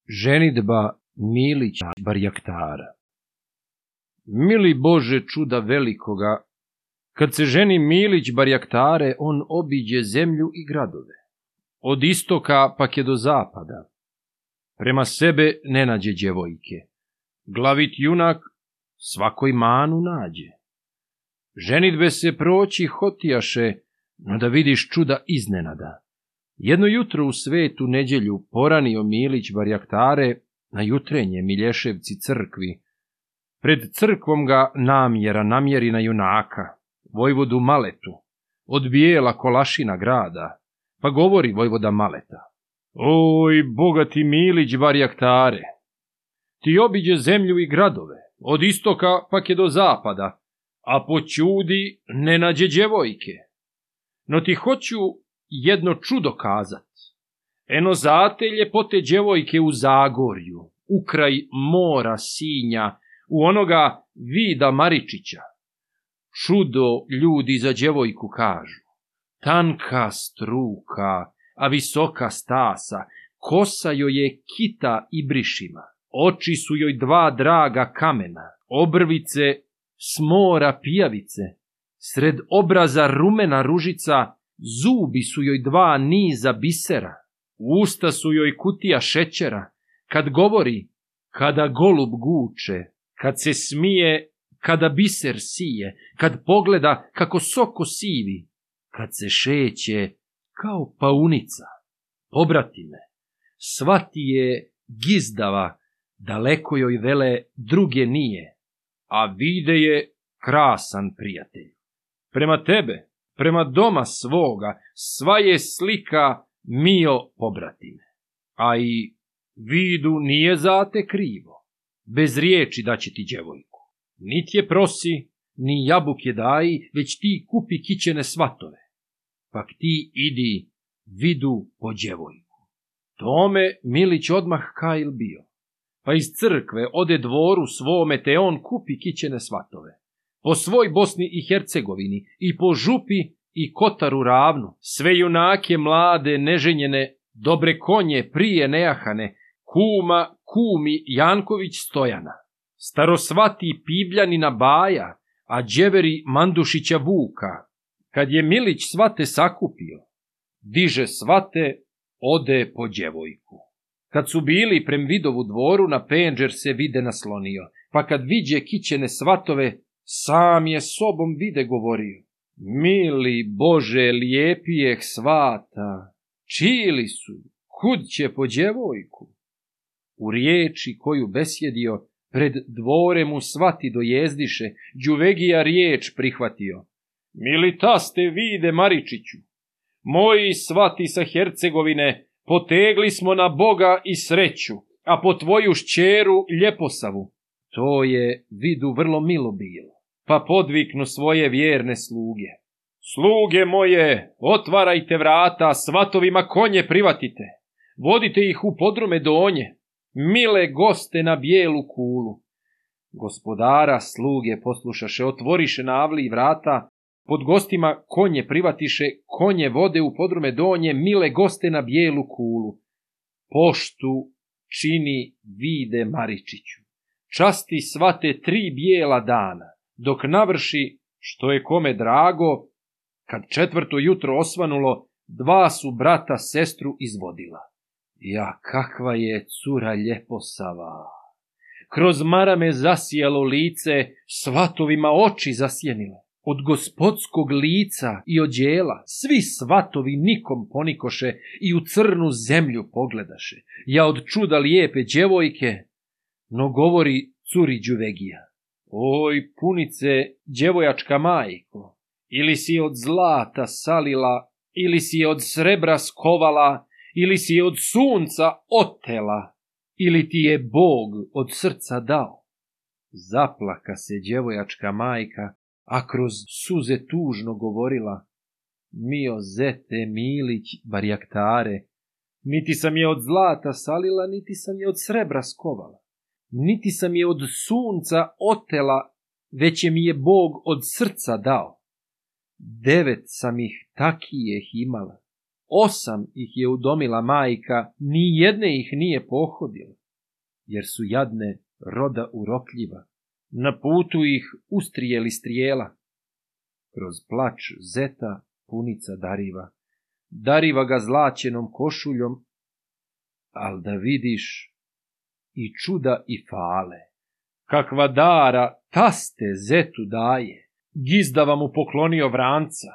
Ženidba Milića Barjaktara. Mili Bože čuda velikoga, kad se ženi Milić Barjaktare, on obiđe zemlju i gradove. Od istoka pak je do zapada. Prema sebe ne nađe djevojke. Glavit junak svakoj manu nađe. Ženidbe se proći hotijaše, no da vidiš čuda iznenada. Jedno jutro u svetu nedjelju poranio Milić Barjaktare na jutrenje Milješevci crkvi. Pred crkvom ga namjeri na junaka, vojvodu Maletu, od bijela Kolašina grada, pa govori vojvoda Maleta: Oj, bogati Milić Barjaktare, ti obiđe zemlju i gradove, od istoka pak je do zapada, a po čudi ne nađe djevojke. No ti hoću jedno čudo kazat. Eno zate ljepote djevojke u Zagorju, ukraj mora Sinja, u onoga Vida Maričića. Čudo ljudi za djevojku kažu. Tanka struka, a visoka stasa, kosa joj je kita i brišima, oči su joj dva draga kamena, obrvice smora pijavice, sred obraza rumena ružica, zubi su joj dva niza bisera, usta su joj kutija šećera, kad govori, kada golub guče, kad se smije, kada biser sije, kad pogleda kako soko sivi, kad se šeće kao paunica. Pobratime, svati je gizdava, daleko joj vele druge nije, a vide je krasan prijatelj. Prema tebe, prema doma svoga, sva je slika mio pobratime, a i vidu nije zate krivo. Bez riječi daće ti djevojku. Nit je prosi, ni jabuke daji, već ti kupi kićene svatove. Pak ti idi vidu po djevojku. Tome Milić odmah kajil bio. Pa iz crkve ode dvoru svome, te on kupi kićene svatove. Po svoj Bosni i Hercegovini i po župi i Kotaru ravnu, sve junake mlade, neženjene, dobre konje prije nejahane, kumi Janković Stojana, starosvati Pivljanina Baja, a đeveri Mandušića Vuka. Kad je Milić svate sakupio, diže svate, ode po djevojku. Kad su bili prem Vidovu dvoru, na penđer se vide naslonio, pa kad viđe kićene svatove, sam je sobom vide govorio: Mili Bože, lijepijeh svata, čili su, kud će po djevojku? U riječi koju besjedio, pred dvore mu svati dojezdiše, Đuvegija riječ prihvatio: Mili taste Vide Maričiću, moji svati sa Hercegovine, potegli smo na Boga i sreću, a po tvoju šćeru Ljeposavu. To je Vidu vrlo milo bilo, pa podviknu svoje vjerne sluge: Sluge moje, otvarajte vrata, svatovima konje privatite, vodite ih u podrume donje, mile goste na bijelu kulu. Gospodara sluge poslušaše, otvoriše na avliji vrata, pod gostima konje privatiše, konje vode u podrume donje, mile goste na bijelu kulu. Poštu čini Vide Maričiću, časti svate 3 bijela dana, dok navrši, što je kome drago, kad 4. jutro osvanulo, 2 su brata sestru izvodila. Ja, kakva je cura Ljeposava! Kroz marame zasijalo lice, svatovima oči zasjenile. Od gospodskog lica i odjela svi svatovi nikom ponikoše i u crnu zemlju pogledaše. Ja od čuda lijepe djevojke, no govori curi Đuvegija: Oj, punice, djevojačka majko, ili si od zlata salila, ili si je od srebra skovala, ili si je od sunca otela, ili ti je Bog od srca dao. Zaplaka se djevojačka majka, a kroz suze tužno govorila: Mio zete Milić Barjaktare, niti sam je od zlata salila, niti sam je od srebra skovala, niti sam je od sunca otela, već je mi je Bog od srca dao. 9 sam ih takijeh imala, 8 ih je udomila majka, ni jedne ih nije pohodila, jer su jadne roda urotljiva. Na putu ih ustrijeli strijela. Kroz plač zeta punica dariva ga zlaćenom košuljom, al da vidiš i čuda i fale. Kakva dara taste zetu daje, gizdava mu poklonio vranca,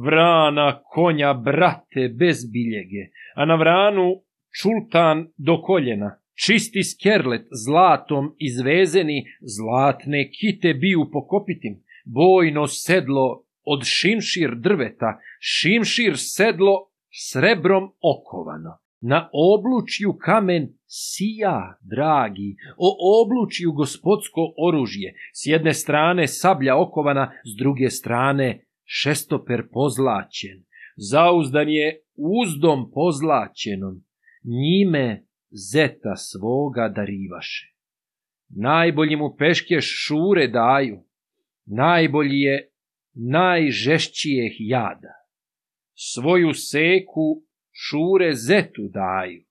vrana, konja, brate, bez biljege, a na vranu čultan do koljena, čisti skerlet zlatom izvezeni, zlatne kite biju po kopitim, bojno sedlo od šimšir drveta, šimšir sedlo srebrom okovano. Na oblučju kamen sija, dragi, o oblučju gospodsko oružje, s jedne strane sablja okovana, s druge strane šestoper pozlaćen, zauzdan je uzdom pozlaćenom, njime zeta svoga darivaše. Najbolji mu peške šure daju, najbolji je najžešćijeh jada. Svoju seku šure zetu daju,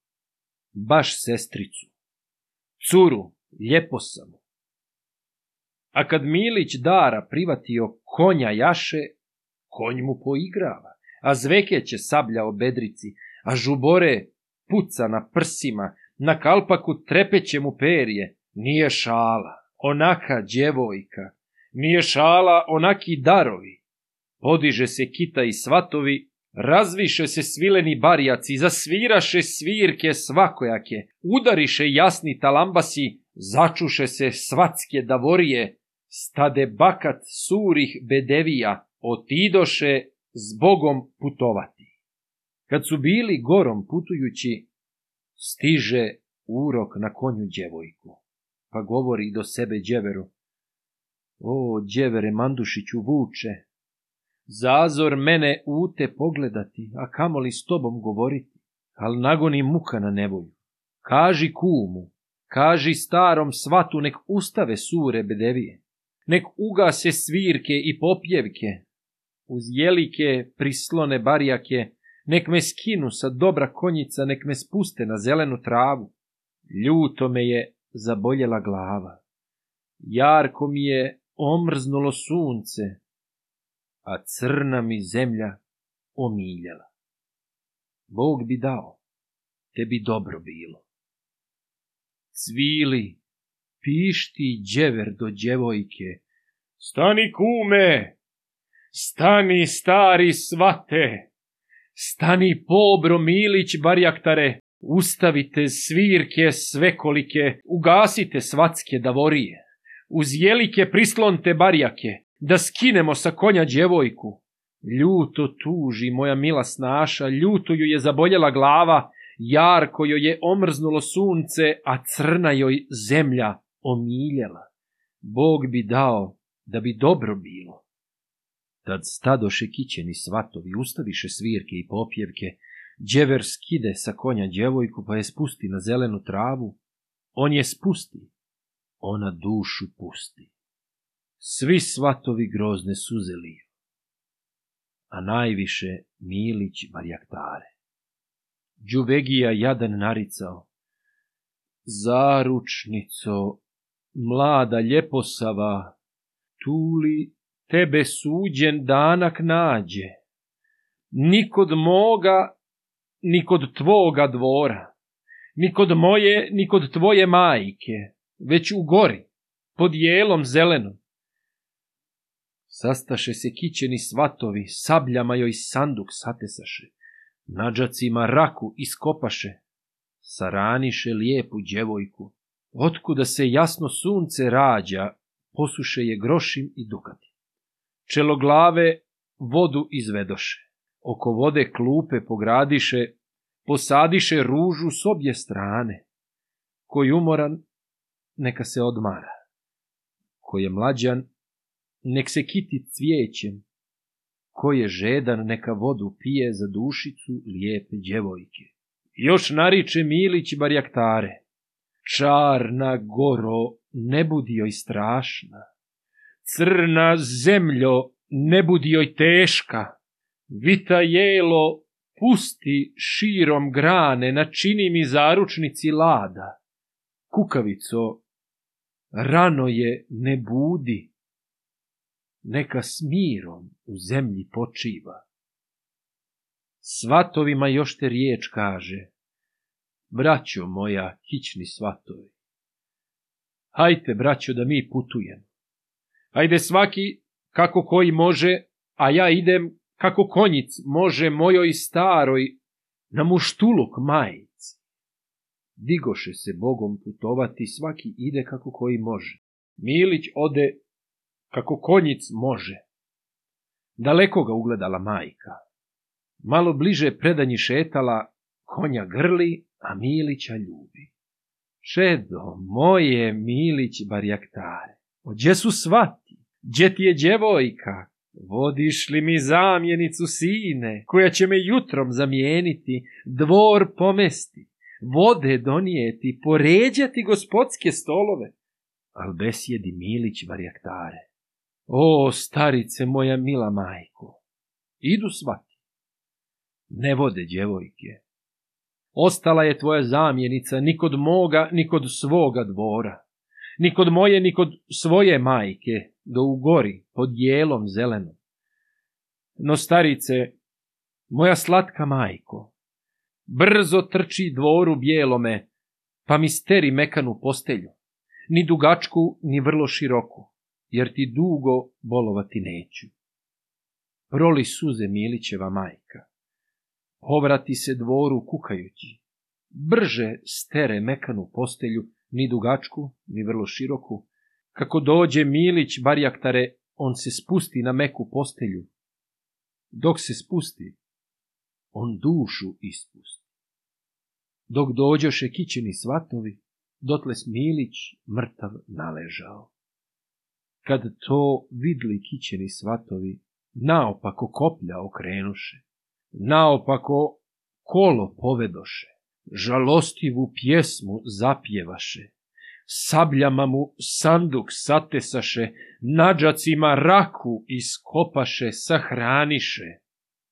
baš sestricu, curu, ljeposamu. A kad Milić dara privatio konja jaše, konj mu poigrava, a zvekeće sablja o bedrici, a žubore puca na prsima, na kalpaku trepeće mu perje. Nije šala, onaka djevojka, nije šala, onaki darovi. Podiže se kita i svatovi, razviše se svileni barjaci, zasviraše svirke svakojake, udariše jasni talambasi, začuše se svatske davorije, stade bakat surih bedevija, otidoše s Bogom putovati. Kad su bili gorom putujući, stiže urok na konju djevojku, pa govori do sebe djeveru: o, djevere Mandušiću vuče, zazor mene ute pogledati, a kamoli s tobom govoriti, al nagoni muka na nevolju. Kaži kumu, kaži starom svatu, nek ustave sure bedevije, nek ugase svirke i popjevke, uz jelike prislone barjake, nek me skinu sa dobra konjica, nek me spuste na zelenu travu. Ljuto me je zaboljela glava, jarko mi je omrznulo sunce, a crna mi zemlja omiljala. Bog bi dao, tebi dobro bilo. Cvili, pišti djever do djevojke: stani kume, stani stari svate, stani pobro Milić barjaktare, ustavite svirke svekolike, ugasite svatske davorije, uz jelike prislonte barjake, da skinemo sa konja djevojku. Ljuto tuži moja mila snaša, ljuto ju je zaboljela glava, jarko joj je omrznulo sunce, a crna joj zemlja omiljela. Bog bi dao da bi dobro bilo. Tad stadoše kićeni svatovi, ustaviše svirke i popjevke, djever skide sa konja djevojku, pa je spusti na zelenu travu. On je spusti, ona dušu pusti. Svi svatovi grozne suze liju, a najviše Milić barjaktare. Đuvegija jadan naricao: zaručnico, mlada ljeposava, tuli tebe suđen danak nađe, ni kod moga, ni kod tvoga dvora, ni kod moje, ni kod tvoje majke, već u gori, pod jelom zelenom. Sastaše se kićeni svatovi, sabljama joj sanduk satesaše, na džacima raku iskopaše, saraniše lijepu djevojku. Otkuda se jasno sunce rađa, posuše je grošim i dukati. Čeloglave vodu izvedoše, oko vode klupe pogradiše, posadiše ružu s obje strane. Ko je umoran, neka se odmara, ko je mlađan, nek se kiti cvijećem, ko je žedan, neka vodu pije za dušicu lijepe djevojke. Još nariče Milić barjaktare: čarna goro, ne budi joj strašna, crna zemljo, ne budi joj teška, vita jelo, pusti širom grane, načini mi zaručnici lada. Kukavico, rano je ne budi, neka s mirom u zemlji počiva. Svatovima još te riječ kaže, braćo moja, kićni svatovi. Hajte, braćo, da mi putujemo. Hajde svaki kako koji može, a ja idem kako konjic može mojoj staroj na muštuluk majici. Digoše se Bogom putovati, svaki ide kako koji može. Milić ode kako konjic može. Daleko ga ugledala majka. Malo bliže predanji šetala, konja grli, a Milića ljubi. Čedo moje, Milić barjaktare, ođe su svati, gdje ti je djevojka? Vodiš li mi zamjenicu sine, koja će me jutrom zamijeniti, dvor pomesti, vode donijeti, poređati gospodske stolove? Al besjedi Milić barjaktare. O, starice moja mila majko, idu svati, ne vode djevojke. Ostala je tvoja zamjenica ni kod moga, ni kod svoga dvora, ni kod moje, ni kod svoje majke, do u gori, pod jelom zelenom. No, starice, moja slatka majko, brzo trči dvoru bijelome, pa mi steri mekanu postelju, ni dugačku, ni vrlo široku, jer ti dugo bolovati neću. Proli suze Milićeva majka, povrati se dvoru kukajući, brže stere mekanu postelju, ni dugačku, ni vrlo široku. Kako dođe Milić barjaktare, on se spusti na meku postelju. Dok se spusti, on dušu ispusti. Dok dođoše kićeni svatovi, dotle Milić mrtav naležao. Kad to vidli kićeni svatovi, naopako koplja okrenuše, naopako kolo povedoše, žalostivu pjesmu zapjevaše, sabljama mu sanduk satesaše, nadžacima raku iskopaše, sahraniše.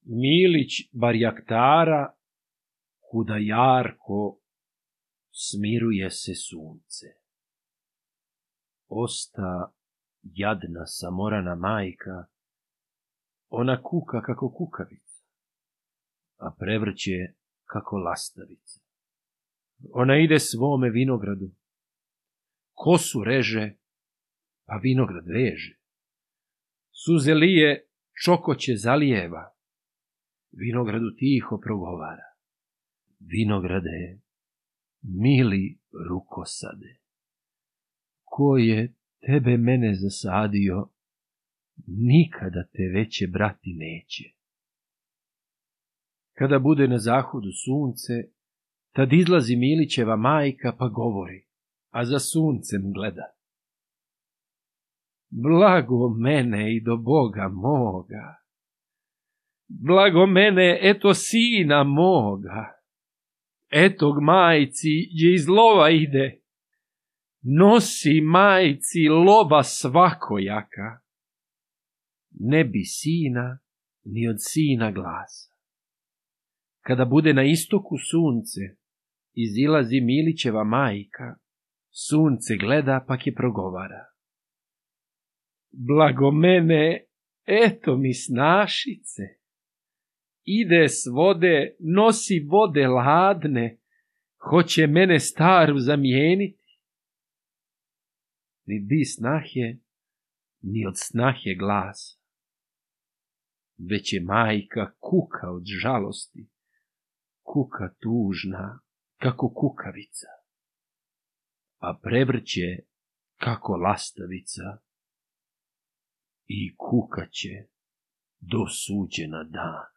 Milić barjaktara, kuda jarko smiruje se sunce. Osta jadna samorana majka, ona kuka kako kukavica, a prevrće kako lastavica. Ona ide svome vinogradu, kosu reže, pa vinograd veže. Suze lije, čokoće zalijeva, vinogradu tiho progovara. Vinograde, mili rukosade, ko je tebe mene zasadio, nikada te veće brati neće. Kada bude na zahodu sunce, tad izlazi Milićeva majka pa govori, a za suncem gleda. Blago mene i do Boga moga, blago mene eto sina moga, etog majci gdje iz lova ide, nosi majci lova svakojaka, ne bi sina ni od sina glasa. Kada bude na istoku sunce, izilazi Milićeva majka, sunce gleda pak je progovara. Blago mene, eto mi snašice, ide s vode, nosi vode ladne, hoće mene staru zamijeniti. Ni bi snahe, ni od snahe glasa, već je majka kuka od žalosti, kuka tužna kako kukavica, a prevrće kako lastavica i kukaće do suđena dana.